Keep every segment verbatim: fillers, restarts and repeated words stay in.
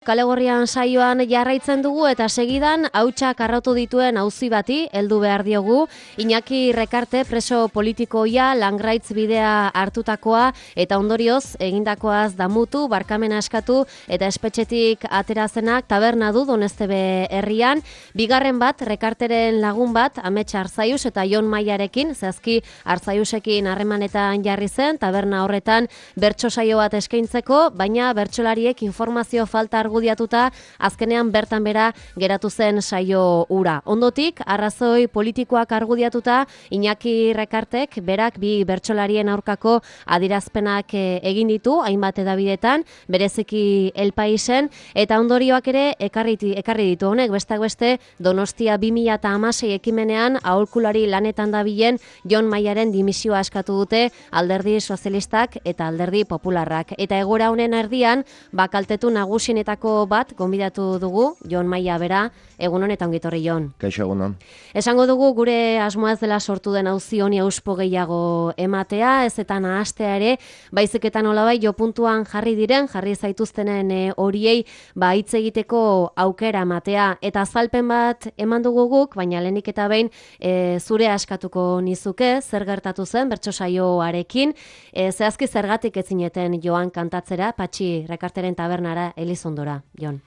Kalegorrian saioan jarraitzen dugu eta segidan hautsak arrautu dituen auzi bati heldu behar diogu. Iñaki Rekarte preso politikoia langraitz bidea hartutakoa eta ondorioz egindakoaz damutu, barkamena eskatu eta espetxetik aterazenak taberna du Doneztebe herrian. Bigarren bat, Rekarteren lagun bat, Amets Arzaius eta Jon Maiarekin, zehazki Arzaiusekin harremanetan jarri zen, taberna horretan bertso saio bat eskaintzeko, baina bertsolariek informazio falta argudiatuta, azkenean bertan bera geratu zen saio ura. Ondotik, arrazoi politikoak argudiatuta, Iñaki Rekartek berak bi bertsolarien aurkako adirazpenak egin ditu, hainbat edabidetan, bereziki El Paisen, eta ondorioak ere ekarri, ekarri ditu honek, bestak beste Donostia bi mila hamasei ekimenean aholkulari lanetan dabilen Jon Maiaren dimisioa eskatu dute Alderdi Sozialistak eta Alderdi Popularrak. Eta egoera honen erdian, bakaltetu nagusienetako bat gonbidatu dugu, Jon Maia bera, egun honetan ongitorri Jon. Kaixo egunon. Esango dugu gure asmoa ez dela sortu den auzi honi auspo gehiago ematea, ez eta nahastea ere, baiziketan olabai jo puntuan jarri diren, jarri zaituztenen e, horiei ba hitz egiteko aukera ematea. Eta azalpen bat eman dugu guk, baina lehenik eta behin e, zure askatuko nizuke, zer gertatu zen bertso saioarekin, e, zehazki zergatik ez zineten joan kantatzera, Patxi Rekarteren tabernara Elizondora, Jon.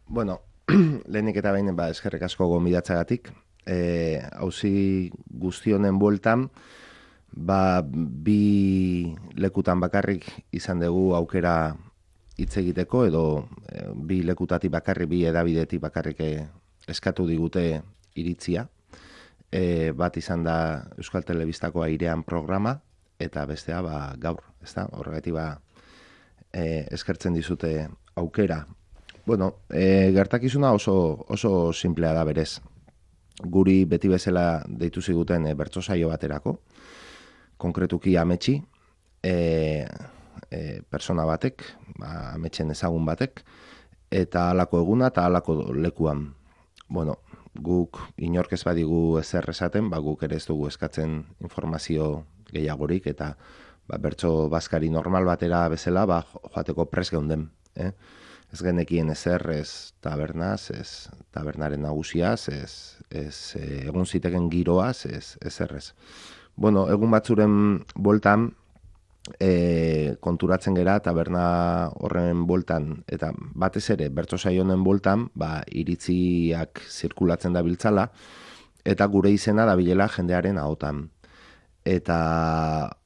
Bueno, lehenik eta behin ba, eskerrik asko gonbidatzagatik. E, auzi guztionen bueltan, ba, bi lekutan bakarrik izan dugu aukera hitz egiteko, edo e, bi lekutatik bakarrik, bi edabidetik bakarrik eskatu digute iritzia. E, bat izan da Euskal Telebistako Airean programa, eta bestea ba, gaur, ezta? Horregatik ba, e, eskertzen dizute aukera. Bueno, e, gertakizuna oso, oso simplea da berez. Guri beti bezala deitu ziguten e, bertso saio baterako, konkretuki Ametsi, e, e, persona batek, ba, Ametsen ezagun batek, eta halako eguna eta halako lekuan. Bueno, guk inork ez badigu ezer esaten, ba, guk ere ez dugu eskatzen informazio gehiagorik, eta ba, bertso bazkari normal batera bezala ba, joateko pres geunden. Eh? Ez genekien ezer, ez tabernaz, ez tabernaren nagusiaz, ez, ez egun ziteken giroaz, ez, ez errez. Bueno, egun batzuren boltan, e, konturatzen gera taberna horren boltan, eta batez ere, bertso saionen boltan, ba, iritziak zirkulatzen da biltzala, eta gure izena da bilela jendearen ahotan. Eta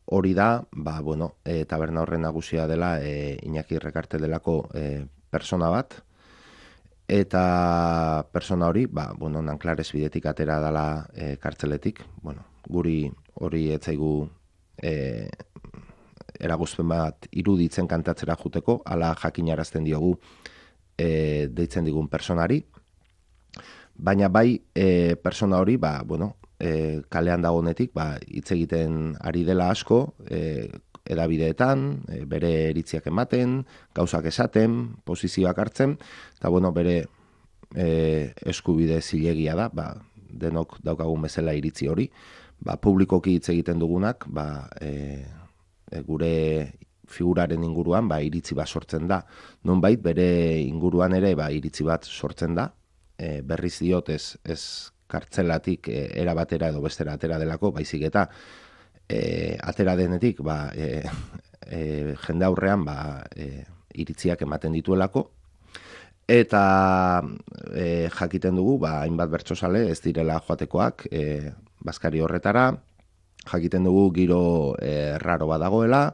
hori da, ba, bueno, e, taberna horren nagusia dela, e, Iñaki Rekarte delako e, persona bat, eta persona hori, ba, bueno, Nanclares bidetik atera dela e, kartzeletik, bueno, guri hori etzaigu e, eragozpen bat iruditzen kantatzera juteko, ala jakinarazten diogu e, deitzen digun personari, baina bai e, persona hori, ba, bueno, e, kalean dagonetik, ba, hitz egiten ari dela asko, e, edabideetan, e, bere eritziak ematen, gauzak esaten, posizioak hartzen, eta bueno, bere e, eskubide zilegia da, ba, denok daukagun bezala iritzi hori, ba, publikoki hitz egiten dugunak, ba, e, e, gure figuraren inguruan ba, iritzi bat sortzen da. Nonbait bere inguruan ere ba, iritzi bat sortzen da, e, berriz diot ez, ez kartzelatik e, era batera edo bestera atera delako, baizik eta E, atera denetik ba, e, e, jende aurrean ba, e, iritziak ematen dituelako, eta e, jakiten dugu ba, hainbat bertsozale ez direla joatekoak e, bazkari horretara, jakiten dugu giro e, raro bat dagoela,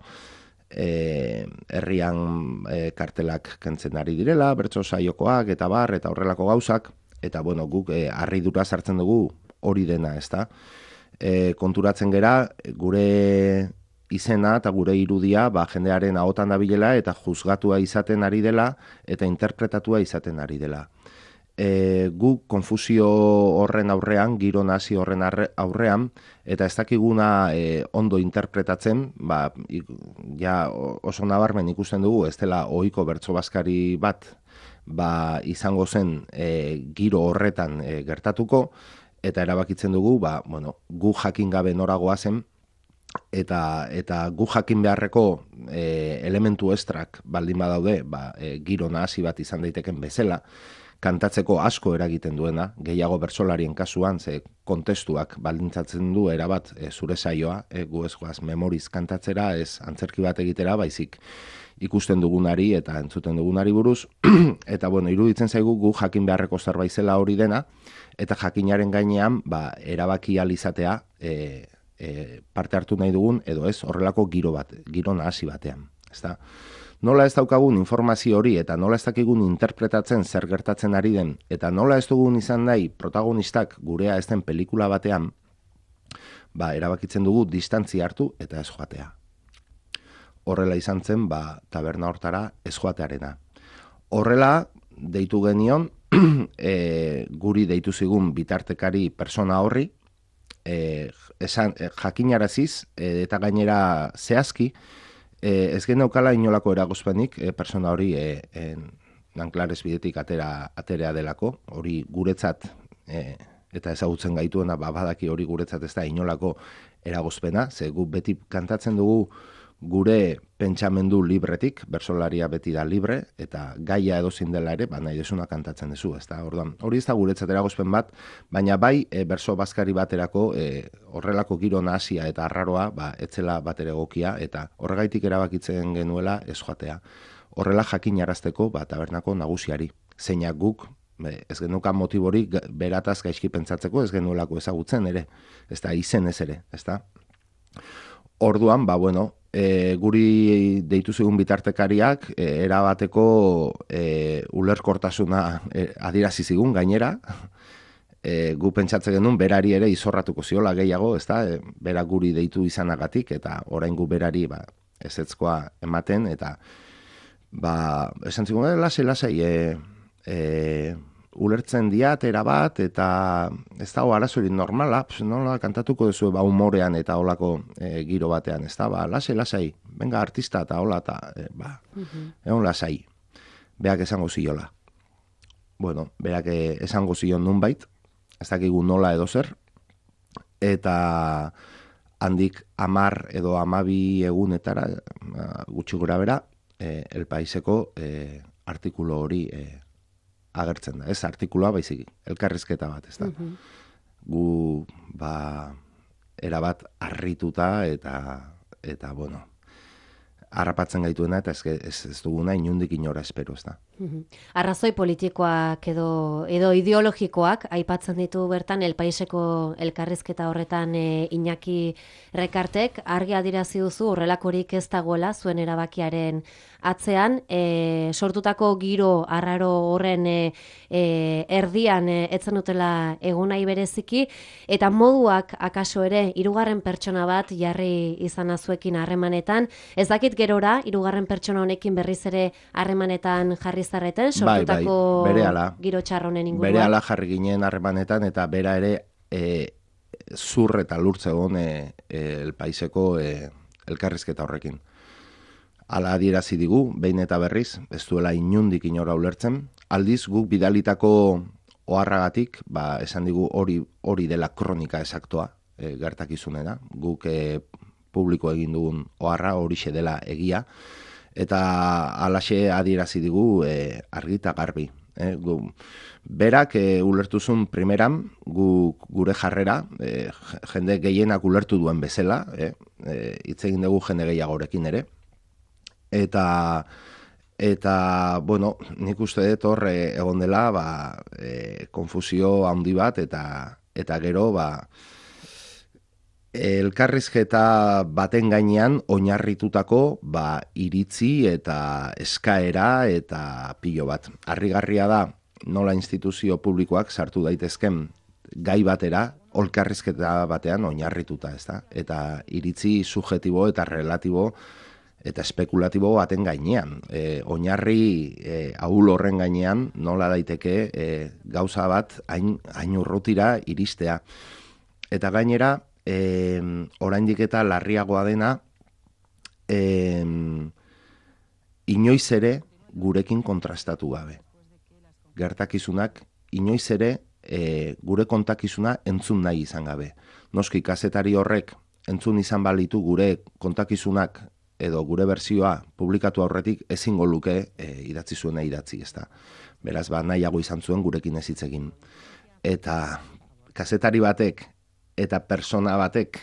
e, herrian e, kartelak kentzen ari direla, bertso saiokoak eta bar, eta horrelako gauzak, eta bueno, guk e, harridura sartzen dugu hori dena, ez da? E, konturatzen gera, gure izena eta gure irudia ba, jendearen ahotan dabilela eta juzgatua izaten ari dela eta interpretatua izaten ari dela. E, gu konfusio horren aurrean, giro nazi horren aurrean, eta ez dakiguna e, ondo interpretatzen, ba, ja oso nabarmen ikusten dugu, ez dela ohiko bertso bazkari bat ba, izango zen e, giro horretan e, gertatuko, eta erabakitzen dugu, ba, bueno, gu jakin gabe noragoa zen, eta eta gu jakin beharreko e, elementu estrak baldin badaude, ba, e, giro nahasi bat izan daiteken bezala, kantatzeko asko eragiten duena, gehiago bertsolarien kasuan, ze kontestuak baldintzatzen du erabat e, zure saioa, e, gu ez goaz memoriz kantatzera, ez antzerki bat egitera, baizik ikusten dugunari eta entzuten dugunari buruz, eta bueno, iruditzen zaigu gu jakin beharreko zerbait zela hori dena, eta jakinaren gainean, ba, erabaki ahal izatea, e, e, parte hartu nahi dugun, edo ez, horrelako giro bat, giro nahasi batean, ezta? Nola ez daukagun informazio hori eta nola ez dakigun interpretatzen zer gertatzen ari den eta nola ez dugun izan nahi protagonistak gurea ez den pelikula batean, ba, erabakitzen dugu distantzia hartu eta ez joatea. Horrela izan zen, ba, taberna hortara ez joatearena. Horrela, deitu genion, e, guri deitu zigun bitartekari persona horri, e, esan, e, jakinaraziz e, eta gainera zehazki, E, ez geneukala inolako eragozpenik e, persona hori e, e, Nanclares bidetik atera, aterea delako, hori guretzat e, eta ezagutzen gaituena ba, badaki hori guretzat ez da inolako eragozpena, ze gu beti kantatzen dugu gure pentsamendu libretik, bersolaria beti da libre, eta gaia edozin dela ere, ba, nahi desuna kantatzen duzu, ez da, orduan, hori ez da guretzat eragozpen bat, baina bai, e, berso bazkari baterako, e, horrelako giro nahasia eta arraroa, ba, etzela batere egokia, eta horregaitik erabakitzen genuela ez joatea. Horrela jakinarazteko, ba, tabernako nagusiari, zeinak guk, e, ez genuka motiborik berataz gaizki pentsatzeko, ez genuelako ezagutzen ere, ez da, izen ez ere, ez da. Orduan, ba, bueno, e, guri deitu zigun bitartekariak e, erabateko e, ulerkortasuna e, adierazi zigun gainera, e, gu pentsatzen genuen berari ere izorratuko ziola gehiago, ez da, e, bera guri deitu izanagatik, eta orain gu berari ba, ezetzkoa ematen, eta ba, esan zigun, e, lasai, lasai, e, e, ulertzen diat erabat, eta ez da, arazorik normala, pues, nola kantatuko duzu ba, humorean eta holako e, giro batean, ez da, ba, lasai, lasai, venga artista eta hola, eta, e, ba, uh-huh. egon lasai, beak esango ziola. Bueno, beak esango zion nunbait, ez dakigu nola edo zer, eta handik amar edo amabi egunetara, gutxi gura bera, e, El Paiseko e, artikulu hori e, agertzen da, ez artikuloa baizik, elkarrizketa bat, ez da. Uh-huh. Gu, ba, erabat harrituta eta, eta, bueno, harrapatzen gaituena eta ez, ez, ez duguna inundik inora espero, ez da. Uh-huh. Arrazoi politikoak edo, edo ideologikoak aipatzen ditu bertan El Paiseko elkarrizketa horretan e, Iñaki Rekartek, argi adierazi duzu horrelakorik ez dagoela zuen erabakiaren atzean, e, sortutako giro arraro horren e, e, erdian e, etzen dutela egunai bereziki, eta moduak akaso ere hirugarren pertsona bat jarri izan azuekin harremanetan, ez dakit gerora hirugarren pertsona honekin berriz ere harremanetan jarri zareten, sortutako bai, bai, giro txarronen inguruan. Berehala jarri ginen harremanetan, eta bera ere e, zur eta lurtze egon e, e, El Paiseko e, elkarrizketa horrekin. Ala adierazi digu, behin eta berriz, ez duela inundik inora ulertzen. Aldiz, guk bidalitako oharragatik, ba, esan digu hori hori dela kronika esaktoa, e, gertakizunena. Guk e, publiko egin dugun oharra horixe dela egia, eta alaxe adierazi digu e, argi eta garbi. E, gu, berak e, ulertuzun primeran, gu, gure jarrera, e, jende gehienak ulertu duen bezala, e, e, hitz egin dugu jende gehiagorekin ere, eta eta bueno, nik uste dut hor egon dela ba, e, konfusio handi bat eta eta gero ba, elkarrizketa baten gainean oinarritutako ba, iritzi eta eskaera eta pilo bat. Harrigarria da nola instituzio publikoak sartu daitezken gai batera, elkarrizketa batean oinarrituta, ez da? Eta iritzi subjetibo eta relatibo eta espekulatibo baten gainean. E, oinarri e, ahul horren gainean nola daiteke e, gauza bat hain, hain urrutira iristea. Eta gainera, e, oraindik eta larriagoa dena, e, inoiz ere gurekin kontrastatu gabe. Gertakizunak inoiz ere e, gure kontakizuna entzun nahi izan gabe. Noski kazetari horrek entzun izan balitu gure kontakizunak edo gure berzioa publikatu aurretik ezingo luke e, idatzi zuena idatzi, ezta. Beraz, ba, nahiago izan zuen gurekin ez hitz egin. Eta kazetari batek eta persona batek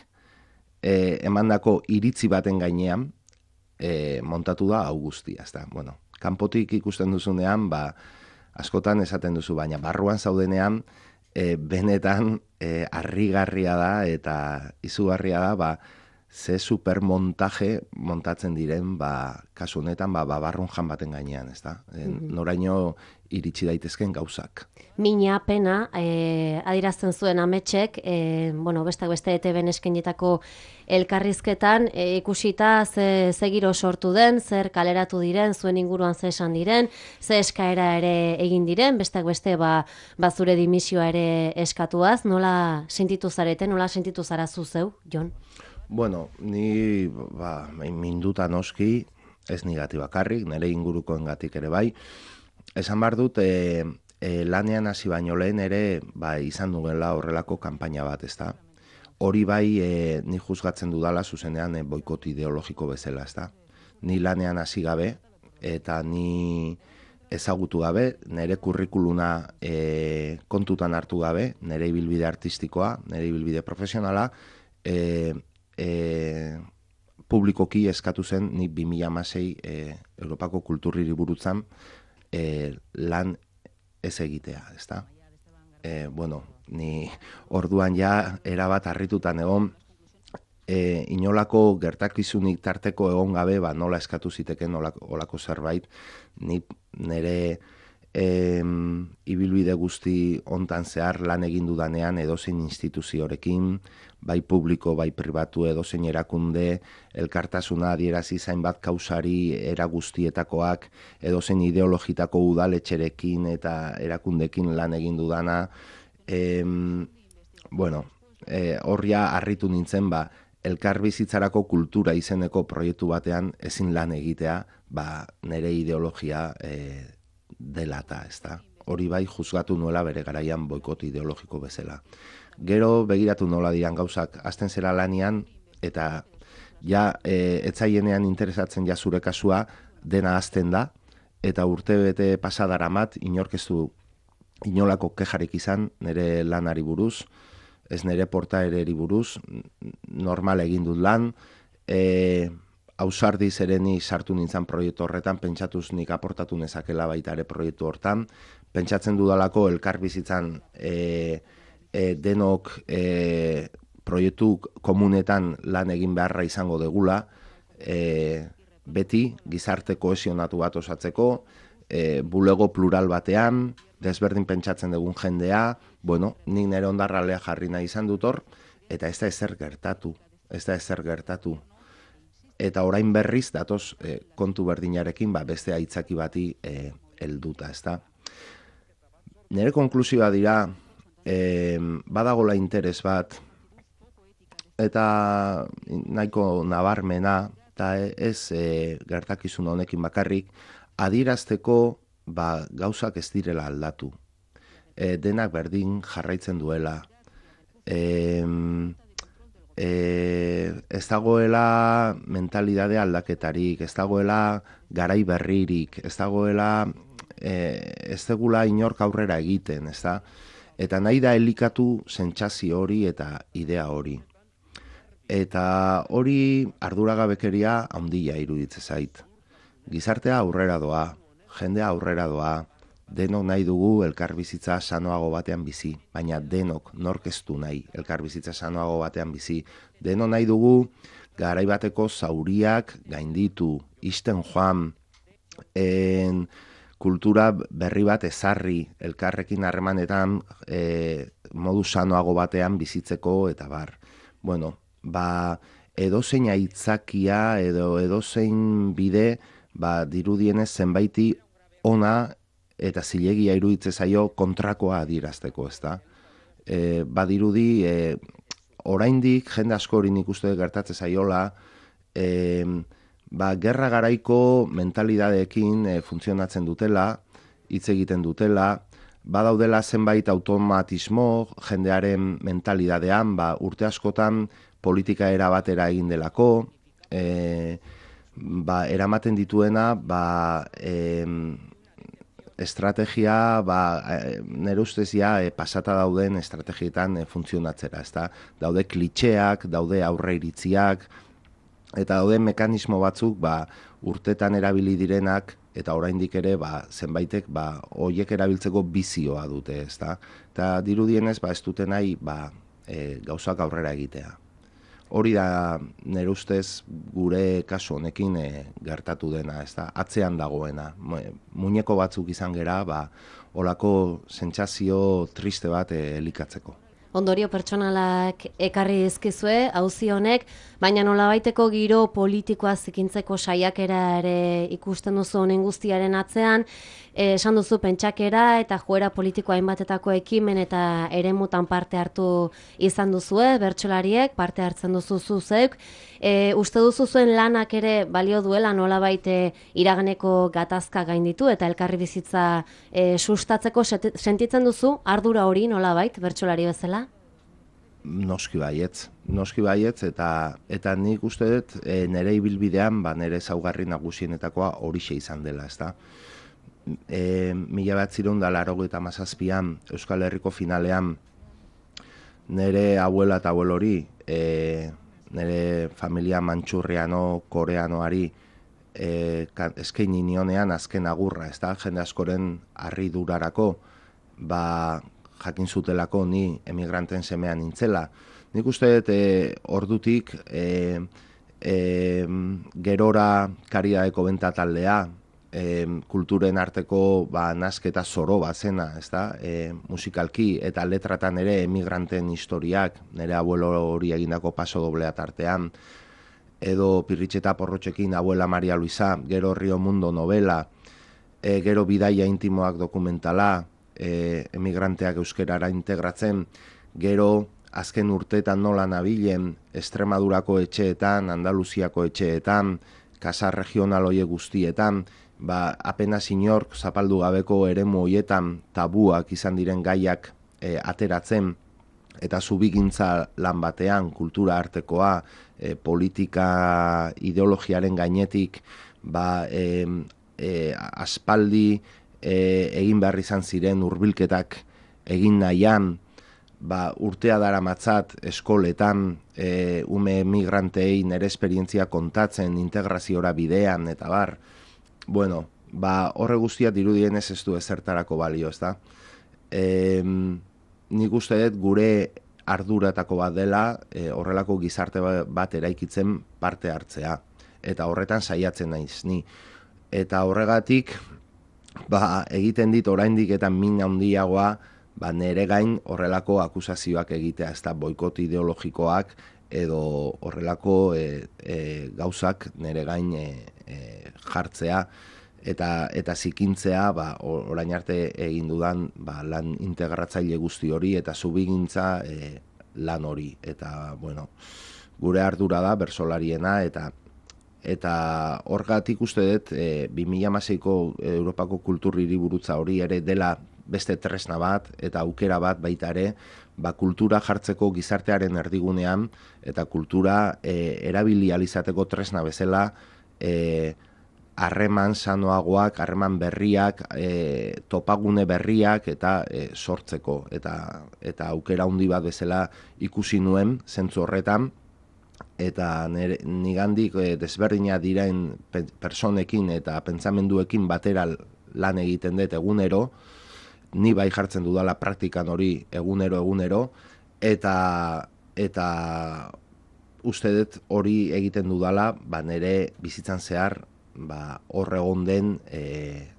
e, emandako iritzi baten gainean e, montatu da hau guztia, ezta. Bueno, kanpotik ikusten duzunean, ba, askotan esaten duzu, baina barruan zaudenean, e, benetan e, harrigarria da eta izugarria da, ba, ze supermontaje montatzen diren, ba, kasu honetan, ba, babarrun jan baten gainean, ezta? Mm-hmm. Noraino iritsi daitezken gauzak. Mina pena, eh, adirazten zuen ametxek, eh, bueno, besteak beste E T B-en eskainitako elkarrizketan, eh, ikusita ze, ze giro sortu den, zer kaleratu diren, zuen inguruan ze esan diren, ze eskaera ere egin diren, besteak beste ba, ba zure dimisioa ere eskatuaz, nola sentitu zareten, nola sentitu zara zu zeu, Jon? Bueno, ni ba, minduta noski, ez nigati bakarrik, nire ingurukoengatik ere bai. Esan behar dut, e, e, lanean hasi baino lehen ere ba, izan duela horrelako kanpaina bat, ezta. Hori bai, e, ni juzgatzen dudala zuzenean e, boikot ideologiko bezala, ezta. Ni lanean hasi gabe, eta ni ezagutu gabe, nire kurrikuluna e, kontutan hartu gabe, nire ibilbide artistikoa, nire ibilbide profesionala, e, E, publikoki eskatu zen ni bi mila hamasei e, Europako kulturriri burutzan e, lan ez egitea, ezta? E, bueno, ni orduan ja erabat harritutan egon, e, inolako gertakizunik tarteko egon gabe, ba, nola eskatu ziteken olako, olako zerbait, ni nire e, ibilbide guzti hontan zehar lan egin dudanean edozein instituziorekin, bai publiko, bai pribatu, edozein erakunde, elkartasuna adierazi zainbat kausari era guztietakoak, edozein ideologitako udaletxerekin eta erakundekin lan egin dudana. E, bueno, e, horria harritu nintzen, ba, elkarbizitzarako kultura izeneko proiektu batean ezin lan egitea, ba, nire ideologia e, delata, ezta. Hori bai juzgatu nuela bere garaian boikot ideologiko bezala. Gero begiratu nola diran gauzak, hasten zera lanian, eta ja e, etzaienean interesatzen ja zure kasua, dena hasten da, eta urte bete pasadaramat, inork ez du inolako kejarik izan, nire lanari buruz, ez nire portaereri buruz, normal egin dut lan, e, ausardi zereni sartu nintzen proiektu horretan, pentsatuz nik aportatu nezakela baita ere proiektu hortan, pentsatzen dudalako elkarbizitzan e, e, denok e, proiektu komunetan lan egin beharra izango degula, e, beti gizarte kohesionatu bat osatzeko, e, bulego plural batean, desberdin pentsatzen dugun jendea, bueno, nik nire ondarralea jarri nahi izan dut hor, eta ez da ezer gertatu, ez da ezer gertatu. Eta orain berriz, datoz, e, kontu berdinarekin, ba, beste aitzaki bati e, helduta, ezta. Nire konklusioa dira, e, badagola interes bat, eta nahiko nabarmena, eta ez e, gertakizun honekin bakarrik, adierazteko ba, gauzak ez direla aldatu. E, denak berdin jarraitzen duela. E, e, ez dagoela mentalidade aldaketarik, ez dagoela garai berririk, ez dagoela e, ez degula inork aurrera egiten, ez da? Eta nahi da elikatu sentsazio hori eta idea hori. Eta hori arduragabekeria handia iruditzen zait. Gizartea aurrera doa, jendea aurrera doa, denok nahi dugu elkarbizitza sanoago batean bizi, baina denok nork ez du nahi elkarbizitza sanoago batean bizi. Denok nahi dugu garai bateko zauriak gainditu, isten joan, en, kultura berri bat ezarri, elkarrekin harremanetan e, modu sanoago batean bizitzeko eta bar. Bueno, ba, edozein aitzakia edo edozein bide, ba, dirudienez zenbaiti ona eta zilegia iruditze zaio kontrakoa adierazteko, ezta? E, badirudi, e, oraindik jende asko hori nik uste gertatze zaiola, e, ba, gerra garaiko mentalidadeekin e, funtzionatzen dutela, hitz egiten dutela, badaudela zenbait automatismo jendearen mentalidadean, ba, urte askotan politika erabatera egin delako, e, ba, eramaten dituena, ba, e, estrategia, ba, nire ustez ja, e, pasata dauden estrategietan e, funtzionatzera, ezta? Daude klitxeak, daude aurre iritziak, eta daude mekanismo batzuk, ba, urtetan erabili direnak, eta oraindik ere, ba, zenbaitek, ba, hoiek erabiltzeko bizioa dute, ezta? Eta dirudienez, ba, ez dute nahi, ba, e, gauzak aurrera egitea. Hori da, nire ustez, gure kasu honekin e, gertatu dena, ezta? Atzean dagoena. Muñeko batzuk izan gera, ba, olako sentsazio triste bat e, elikatzeko. Ondorio pertsonalak ekarri dizkizue, auzi honek, baina nolabaiteko giro politikoa zikintzeko saiakera ere ikusten duzu honen guztiaren atzean, eh, esan duzu pentsakera eta joera politikoa hainbatetako ekimen eta eremutan parte hartu izan duzue, bertsolariek parte hartzen duzu zuzeuk. E, uste duzu zuen lanak ere balio duela nolabait iraganeko gatazka gainditu eta elkarri bizitza e, sustatzeko sentitzen duzu ardura hori nolabait bertsolari bezala? Noski baietz, noski baietz, eta eta nik uste dut e, nire ibilbidean, ba, nire ezaugarri nagusienetakoa horixe izan dela, ezta. E, mila batzireun da laurogeita hamazazpian Euskal Herriko finalean nire abuela eta abuelo hori, e, nire familia mantxurriano, koreanoari e, eskaini nionean azken agurra, ezta, jende askoren harridurarako, ba, jakin zutelako ni emigranten semean nintzela. Nik uste dut e, ordutik e, e, gerora kariadeko benta taldea, e, kulturen arteko ba, nasketa zoro bat zena, ezta? E, musikalki eta letratan ere emigranten historiak, nire abuelo hori egindako paso doblea tartean, edo Pirritxeta Porrotxekin Abuela Maria Luisa, gero Rio Mundo novela, e, gero Bidaia intimoak dokumentala, E, emigranteak euskerara integratzen, gero azken urteetan nola nabilen Estremadurako etxeetan, Andaluziako etxeetan, kasa regional hoie guztietan, ba, apenas inork zapaldu gabeko eremu hoietan tabuak izan diren gaiak e, ateratzen, eta zubigintza lan batean, kultura artekoa, e, politika ideologiaren gainetik, ba, e, e, aspaldi, E, egin behar izan ziren hurbilketak egin nahian, ba, urtea dara matzat eskoletan, e, ume migrantei nire esperientzia kontatzen, integraziora bidean, eta bar, bueno, ba, horre guztia dirudienez ez du ezertarako balio, ezta? E, nik uste dut gure arduratako bat dela, e, horrelako gizarte bat eraikitzen parte hartzea, eta horretan saiatzen naiz ni. Eta horregatik, ba, egiten dit oraindik eta min handiagoa, ba, nere gain horrelako akusazioak egitea, ez da boikot ideologikoak edo horrelako e, e, gauzak nere gain e, e, jartzea eta eta zikintzea, ba, orain arte egin dudan ba, lan integratzaile guzti hori eta zubigintza e, lan hori. Eta, bueno, gure ardura da bertsolariena eta Eta horgatik uste dut, e, bi mila hamaseiko Europako kultur hiriburutza hori ere dela beste tresna bat eta aukera bat baita ere, ba, kultura jartzeko gizartearen erdigunean eta kultura e, erabili alizateko tresna bezala e, harreman sanoagoak, harreman berriak, e, topagune berriak eta e, sortzeko. Eta, eta aukera handi bat bezala ikusi nuen zentzu horretan, eta nigandik e, desberdina diren personekin eta pentsamenduekin batera lan egiten dut egunero, ni bai jartzen dudala praktikan hori egunero egunero, eta eta uste dut hori egiten dudala, ba, nire bizitzan zehar ba, hor egon den e,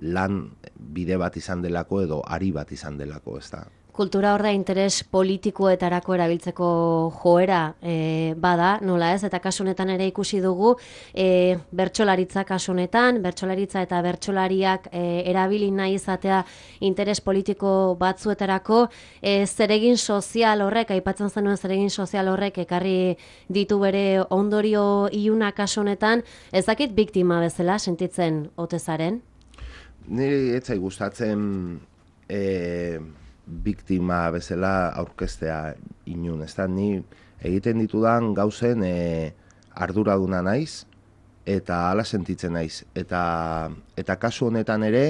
lan bide bat izan delako edo ari bat izan delako, ez da. Kultura horra interes politikoetarako erabiltzeko joera e, bada, nola ez, eta kasu honetan ere ikusi dugu, e, bertsolaritza kasu honetan, bertsolaritza eta bertsolariak e, erabili nahi izatea interes politiko batzuetarako, e, zeregin sozial horrek, aipatzen zenuen zeregin sozial horrek ekarri ditu bere ondorio iluna kasu honetan, ez dakit biktima bezala sentitzen ote zaren? Niri etzai gustatzen e, biktima bezala aurkeztea inun, ez da, ni egiten ditudan gauzen e, arduraduna naiz, eta hala sentitzen naiz. Eta, eta kasu honetan ere,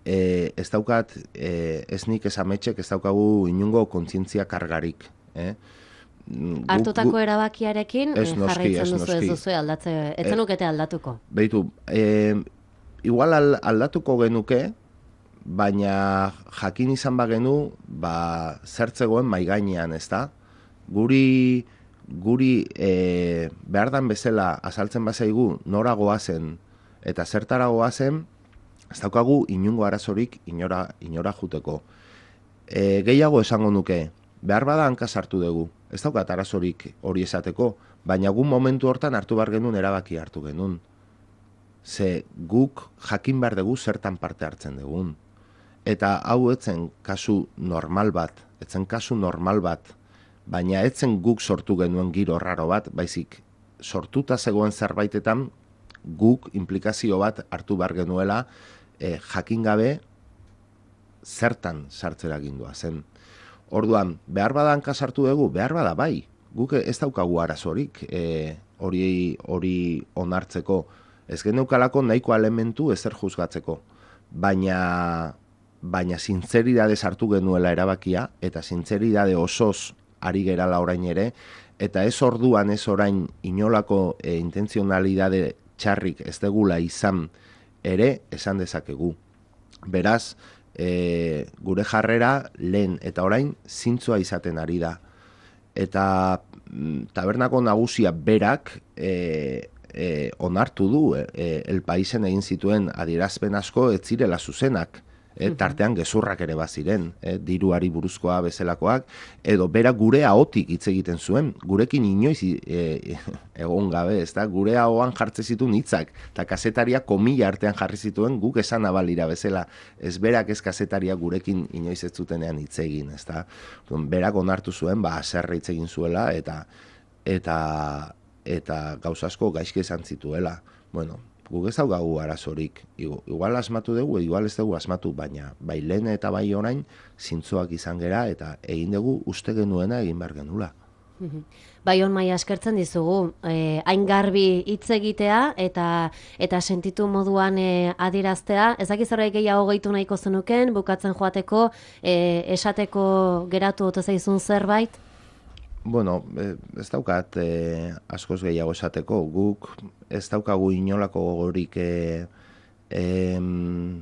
e, ez daukat, e, ez nik ez ametxek, ez daukagu inungo kontzientzia kargarik. Eh? Hartutako erabakiarekin ez noski, jarraitzen ez duzu ez noski. duzu aldatze, ez zenukete aldatuko. Beitu, e, igual aldatuko genuke, baina jakin izan bagenu, ba, zertzegoen maigainean, ez da? Guri, guri e, behar dan bezala azaltzen bazaigu nora goazen eta zertara goazen, ez daukagu inungo arazorik inora, inora juteko. E, gehiago esango nuke, behar bada hanka sartu dugu, ez daukat arazorik hori esateko, baina gu momentu hortan hartu behar genuen erabaki hartu genuen. Ze guk jakin behar dugu zertan parte hartzen dugun. Eta hau etzen kasu normal bat, etzen kasu normal bat, baina etzen guk sortu genuen giro raro bat, baizik sortuta zegoen zerbaitetan guk implikazio bat hartu behar genuela eh, jakin gabe zertan sartzera gindua zen. Orduan, behar bada hanka sartu dugu, behar bada bai, guk ez daukagu arazorik eh, hori hori onartzeko, ez geneukalako nahiko elementu ezer juzgatzeko, baina baina zintzeridade sartu genuela erabakia, eta zintzeridade osoz ari gerala orain ere, eta ez orduan ez orain inolako e, intenzionalidade txarrik ez degula izan ere esan dezakegu. Beraz, e, gure jarrera lehen eta orain zintzoa izaten ari da. Eta mm, tabernako nagusia berak e, e, onartu du e, El Paisen egin zituen adierazpen asko ez zirela zuzenak. E, tartean gezurrak ere baziren, e, diruari buruzkoa bezalakoak, edo bera gure ahotik hitz egiten zuen, gurekin inoiz e, egon gabe, ez da, gure ahoan jartze zituen hitzak, eta kazetaria komila artean jarri zituen guk esan abalira bezala, ez berak ez kazetaria gurekin inoiz ez zutenean hitz egin, ez da, berak onartu zuen, ba, aserre hitz egin zuela, eta eta eta gauza asko gaizki esan zituela, bueno, guk ez daukagu arazorik, igual asmatu dugu, igual ez dugu asmatu, baina bai lehen eta bai orain zintzoak izan gera eta egin dugu uste genuena egin behar genula. Bai hon maia eskertzen dizugu, eh, hain garbi hitz egitea eta eta sentitu moduan eh, adieraztea, ez dakiz horrek gehiago gehitu nahiko zenuken, bukatzen joateko, eh, esateko geratu ote zaizun zerbait? Bueno, ez daukat eh, askoz gehiago esateko, guk ez daukagu inolako gogorik eh, em,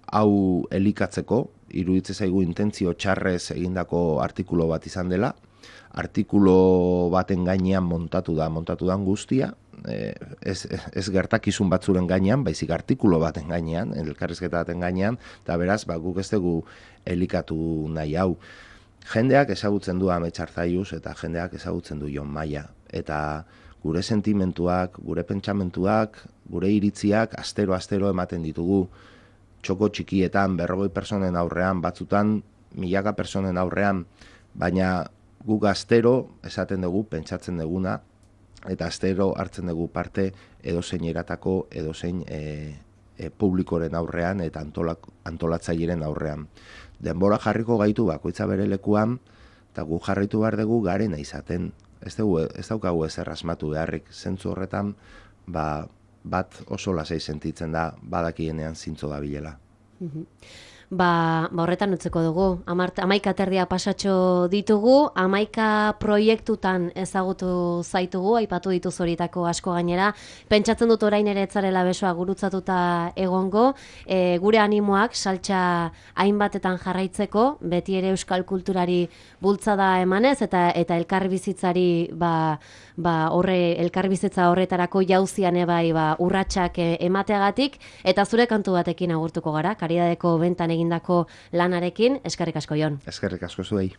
hau elikatzeko, iruditzen zaigu intentzio txarrez egindako artikulu bat izan dela, artikulu baten gainean montatu da, montatu da guztia, eh, ez, ez gertakizun batzuren gainean, baizik artikulu baten gainean, elkarrizketa baten gainean, eta beraz, ba, guk ez dugu elikatu nahi hau. Jendeak ezagutzen du Amets Arzalluz eta jendeak ezagutzen du Jon Maia. Eta gure sentimentuak, gure pentsamentuak, gure iritziak astero-astero ematen ditugu. Txoko txikietan, berrogei personen aurrean, batzutan milaka personen aurrean, baina guk astero esaten dugu, pentsatzen duguna, eta astero hartzen dugu parte edozein eratako, edozein e, e, publikoren aurrean eta antolak, antolatzaileren aurrean. Denbora jarriko gaitu bakoitza bere lekuan, eta gu jarraitu behar dugu garena izaten. Ez, dugu, ez daukagu ezer asmatu beharrik, zentzu horretan ba, bat oso lasai sentitzen da badakienean zintzo da bilela. Ba, ba horretan utzeko dugu, hamaika terdia pasatxo ditugu, hamaika proiektutan ezagutu zaitugu, aipatu dituz horietako asko gainera, pentsatzen dut orain ere etzarela besoa gurutzatuta egongo, e, gure animoak saltxa hainbatetan jarraitzeko, beti ere euskal kulturari bultzada emanez, eta eta elkarbizitzari ba, ba, horre, elkarbizitza horretarako jauzian ebai ba, urratsak emateagatik, eta zure kantu batekin agurtuko gara, Karidadeko bentan egindako lanarekin, eskerrik asko Jon. Eskerrik asko zuei.